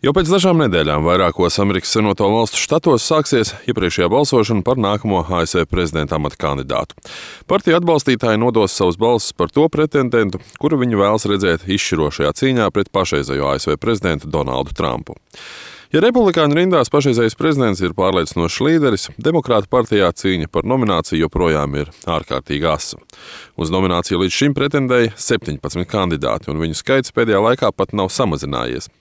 Jau pēc dažām nedēļām vairākos Amerikas Savienoto Valstu štatos sāksies iepriekšējā balsošana par nākamo ASV prezidenta amata kandidātu. Partiju atbalstītāji nodos savus balsis par to pretendentu, kuru viņi vēlas redzēt izšķirošajā cīņā pret pašreizējo ASV prezidentu Donaldu Trumpu. Ja republikāņu rindās pašreizējais prezidents ir pārliecinošs līderis, demokrātu partijā cīņa par nomināciju joprojām ir ārkārtīgi asa. Uz nomināciju līdz šim pretendēja 17 kandidāti, un viņu skaits pēdējā laikā pat nav samazinājies.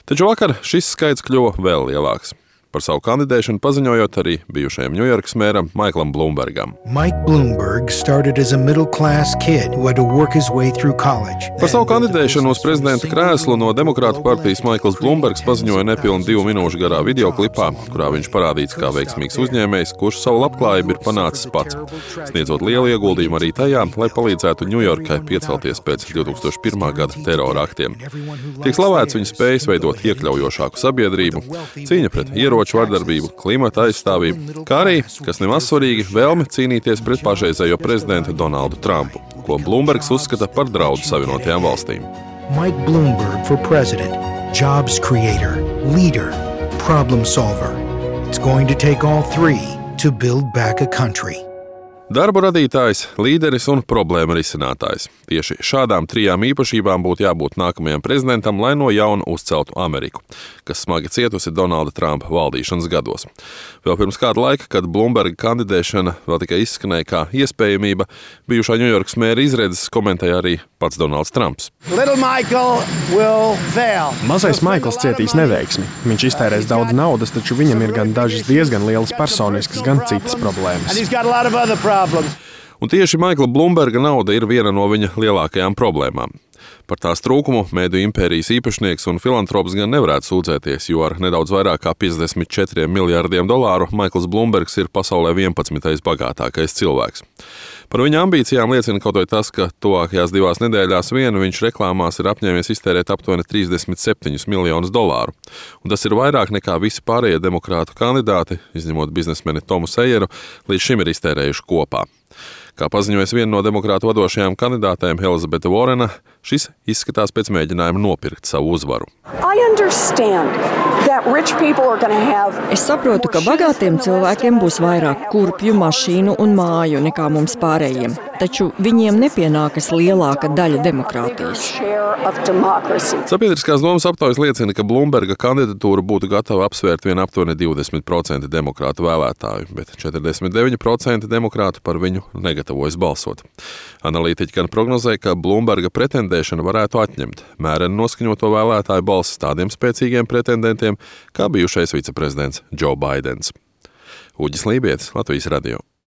Taču vakar šis skaits kļuva vēl lielāks. Par savu kandidēšanu paziņojot arī bijušajam Ņujorkas mēram Maiklam Blumbergam. Mike Bloomberg started as a middle-class kid who had to work his way through college. Par savu kandidēšanu uz prezidenta krēslu no demokrātu partijas Maikls Blumbergs paziņoja nepilnu 2 minūšu garā videoklipā, kurā viņš parādīts kā veiksmīgs uzņēmējs, kurš savu labklājību ir panācis pats, sniedzot lielu ieguldījumu arī tajā, lai palīdzētu Ņujorkai piecelties pēc 2001. Gada terora aktiem. Tiek slavēts viņa spējas veidot iekļaujošāku sabiedrību, cīņa pret ieroču vardarbību, klimata aizstāvību, kā arī, kas nemaz svarīgi, vēlme cīnīties pret pašreizējo prezidentu Donaldu Trumpu, ko Blumbergs uzskata par draudu Savienotajām valstīm. Mike Bloomberg for president, jobs creator, leader, problem solver. It's going to take all three to build back a country. Darba radītājs, līderis un problēma risinātājs. Tieši šādām 3 īpašībām būtu jābūt nākamajam prezidentam, lai no jauna uzceltu Ameriku, kas smagi cietusi Donalda Trumpa valdīšanas gados. Vēl pirms kāda laika, kad Blumberga kandidēšana vēl tikai izskanēja kā iespējamība, bijušā Ņujorkas mēra izredzes komentēja arī pats Donalds Trumps. Mazais Maikls cietīs neveiksmi. Viņš iztērēs daudz naudas, taču viņam ir gan dažas diezgan lielas personiskas, gan citas problēmas. Un tieši Maikla Blumberga nauda ir viena no viņa lielākajām problēmām. Par tās trūkumu mēdīju impērijas īpašnieks un filantrops gan nevarētu sūdzēties, jo ar nedaudz vairāk kā $54 miljardiem Maikls Blumbergs ir pasaulē 11. bagātākais cilvēks. Par viņa ambīcijām liecina kaut vai tas, ka tuvākajās 2 nedēļās vien viņš reklāmās ir apņēmies iztērēt aptuveni $37 miljonus. Un tas ir vairāk nekā visi pārējie demokrātu kandidāti, izņemot biznesmeni Tomu Sejeru, līdz šim ir iztērējuši kopā. Kā paziņojas viena no demokrātu vadošajām kandidātēm Elizabete Vorena, šis izskatās pēc mēģinājuma nopirkt savu uzvaru. Es saprotu, ka bagātiem cilvēkiem būs vairāk kurpju, mašīnu un māju nekā mums pārējiem, taču viņiem nepienākas lielāka daļa demokrātijas. Sabiedriskās domas aptaujas liecina, ka Blumberga kandidatūru būtu gatava apsvērt vien aptuveni 20% demokrātu vēlētāju, bet 49% demokrātu par viņu negatavojas balsot. Analītiķi gan prognozē, ka Blumberga pretendēšana varētu atņemt mēreni noskaņoto vēlētāju balsis tādiem spēcīgiem pretendentiem, kā bijušais viceprezidents Joe Baidens. Uģis Lībietis, Latvijas radio.